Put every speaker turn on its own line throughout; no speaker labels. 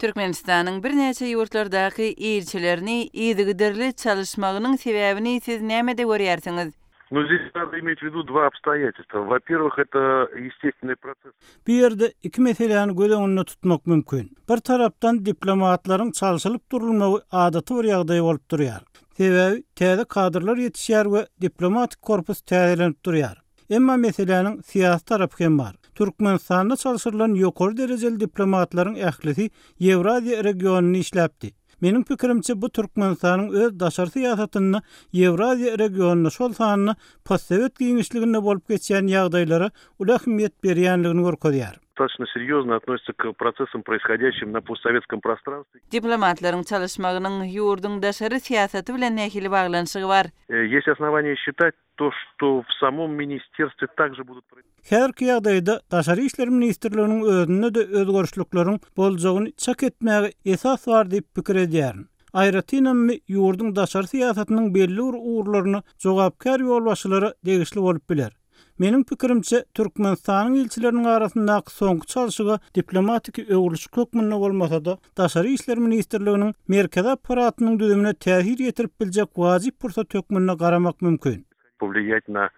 Türkmenistan'ın bir neçe yurtlardaki elçilerini iyidigidерli çalışmağının sebebini siz nämede görýärsiňiz?
Здесь надо иметь в виду два обстоятельства. Во-первых, это естественный процесс.
Bir yerde iki meseleni göz önüne tutmak mümkün. Bir tarapdan diplomatlaryň çalşylyp durulmagy adaty bir ýagdaý bolup durýar. Sebebi täze kadrlar ýetişýär we diplomatik korpus täzelenip durýar. Emma meseleniň siýasy tarapy hem bar. Türkmenistanda çalışylan ýokary derejeli diplomatlaryň ählisi Ewraziýa regionuny işläpdi. Mening pikirimçe bu Türkmenistanyň öz daşary siýasatyny Ewraziýa regionuny şol sanyny postsovet giňişliginde bolup geçýän ýagdaýlara ulahmiyet berýänligini görkezýär.
Достаточно серьезно относится к процессам, происходящим на постсоветском пространстве.
Diplomatlaryň çalışmagynyň ýurduň daşary siýasaty bilen nähili baglanyşygy bar.
Есть основания считать то, что в самом министерстве также будут
Her ýagdaýda daşary işler ministrliginiň özünde de özgörüşlikleriň boljagyny çak etmäge esas bar diýip pikir edýär. Aýratynam ýurduň daşary siýasatynyň belli bir uğurlaryny jogapkar ýolbaşçylary degişli bolup biler. Mening pikirimçe Türkmenistanyň elçileriniň arasyndaky soňky çalşyga diplomatik öwrülüş kökmünde bolmasa-da daşary işler ministrliginiň merkezi aparatynyň düzümine täsir ýetirip biljek wajyp pursat hökmüne garamak mümkin.
Повлиять на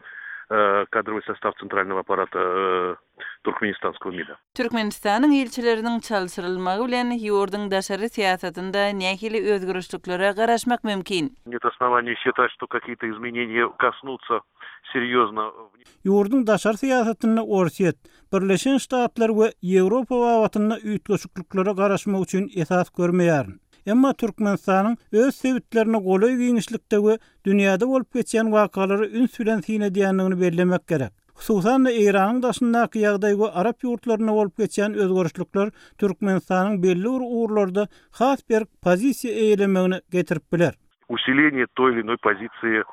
кадровый состав центрального аппарата Туркменистанского МИДа.
Türkmenistanyň elçileriniň çalşyrylmagy bilen ýurduň daşary siýasatynda nähili özgörüşliklere garaşmak mümkin.
Нет оснований считать, что какие-то изменения коснутся серьезно.
Ýurduň daşary siýasatyny Orsiýet, Birleşen Ştatlar we Ýewropa wawatyna üýtgeşikliklere garaşmak üçin esas görmeýär. Emma Türkmenistanyň öz sebitlerini golay giňişlikde we dünýäde bolup geçýän wakalary üns bilen sinedýänligini bellemek gerek. Hususan Iranyň daşyndaky ýagdaý we Arap ýurtlaryna bolup geçýän özgörüşlikler Türkmenistanyň belli bir uğurlarda has bir pozisiýa eýlemegine getirip biler.
Усиление той или иной позиции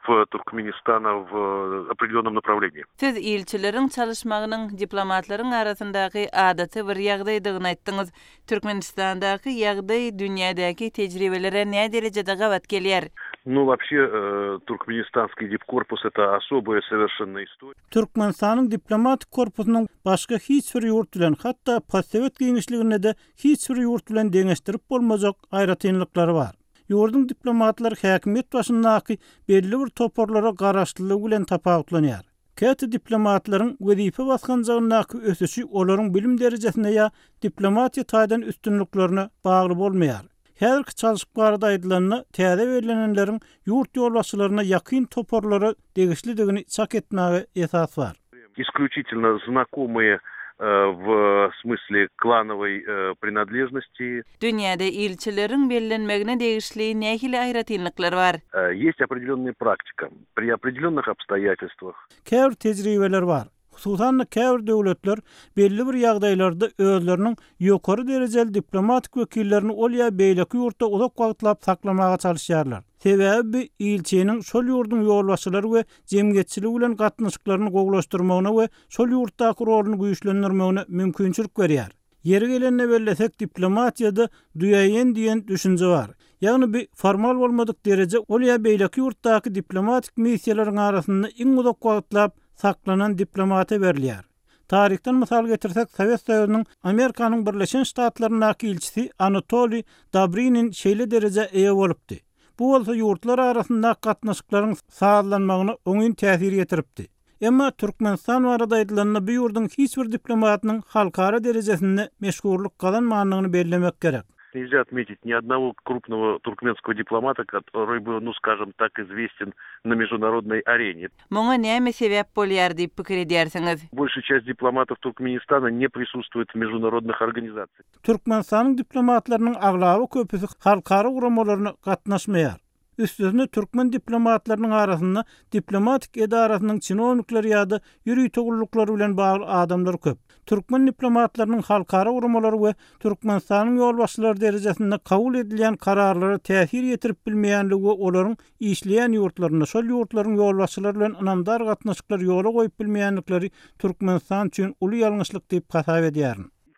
в Туркменистана в определенном направлении.
Siz elçileriň çalışmagynyň diplomatlaryň arasyndaky adaty bir ýagdaýdygyny aýtdyňyz. Türkmenistandaky ýagdaý dünýädäki tejribelere näme derejede gawat gelýär?
Ну, вообще, туркменистанский дипкорпус — это особая совершенно история.
Türkmenistanyň diplomatik korpusynyň başga hiç bir ýurt bilen, hatda postsovet giňişliginde de hiç bir ýurt bilen deňeşdirip bolmajak aýratynlyklary bar. Ýurduň diplomatlary häkimet başyndaky belli bir toporlara garaşlylygy bilen tapawutlanýar. Käte diplomatlaryň wezife baskanjagyndaky ösüşi olaryň bilim derejesine ýa diplomatiýa taýdan üstünliklerine bagly bolmaýar. Her çalışıp barada aýdylanyny täze verilenleriň ýurt ýolbaşçylaryna ýakyn toporlara degişlidigini çak etmäge esas bar.
Исключительно знакомые в смысле клановой принадлежности.
Dünýäde elçileriň bellenmegine degişli nähili aýratynlyklary bar.
Есть определенная практика. При определенных обстоятельствах.
Käbir tejribeler bar. Hususan käbir döwletler belli bir ýagdaýlarda özleriniň ýokary derejeli diplomatik wekillerini ol ýa beýleki ýurtda uzak wagtlap saklamaga çalışýarlar. Sebebi elçiniň şol ýurduň ýolbaşçylary we jemgyýetçiligi bilen gatnaşyklaryny gowlaşdyrmagyna we şol ýurtdaky roluny güýçlendirmegine mümkinçilik berýär. Yeri gelende bellesek diplomatiýada duýaýan diýen düşünje bar. Ýagny bir formal bolmadyk dereje ol ýa beýleki ýurtdaky diplomatik missiýalariň arasynda iň uzak wagtlap saklanan diplomata berilýär. Tarihten misal getirsek Sowet Soýuzynyň Amerikanyň Birleşen Ştatlarynaky elçisi Anatoly Dobrinin şeýle dereje eýe bolupdy. Bu bolsa ýurtlar arasynda gatnaşyklaryň sağlanmagyna oňyn täsir ýetiripdi. Emma Türkmenistan barada aýdylanyny bu ýurduň hiç bir diplomatynyň halkara derejesinde meşgurluk kazanmagyny bellemek gerek.
Нельзя отметить ни одного крупного туркменского дипломата, который был, ну скажем так, известен на международной арене.
Моңа näme sebäp bolýar diýip pikir edýärsiňiz?
Большая часть дипломатов Туркменистана не присутствует в международных организациях.
Türkmenistanyň diplomatlarynyň aglaby köpüsi halkara uramalaryna gatnaşmaýar. Üstüne Türkmen diplomatlarynyň arasynda diplomatik edarasynyň çynownikleri ýa-da ýürüý togullukları bilen bagly adamlar köp. Türkmen diplomatlarynyň halkara uramalary we Türkmenistanyň ýolbaşçylary derejesinde kabul edilýän kararlara täsir ýetirip bilmeýänligi we olaryň işleýän ýurtlaryna şol ýurtlaryň ýolbaşçylary bilen anamdar gatnaşyklar ýola goýup bilmeýänlikleri Türkmenistan üçin uly ýalňyşlyk diýip hasap edýär.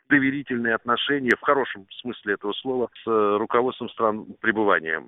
Доверительные отношения в хорошем смысле этого слова с руководством стран пребывания.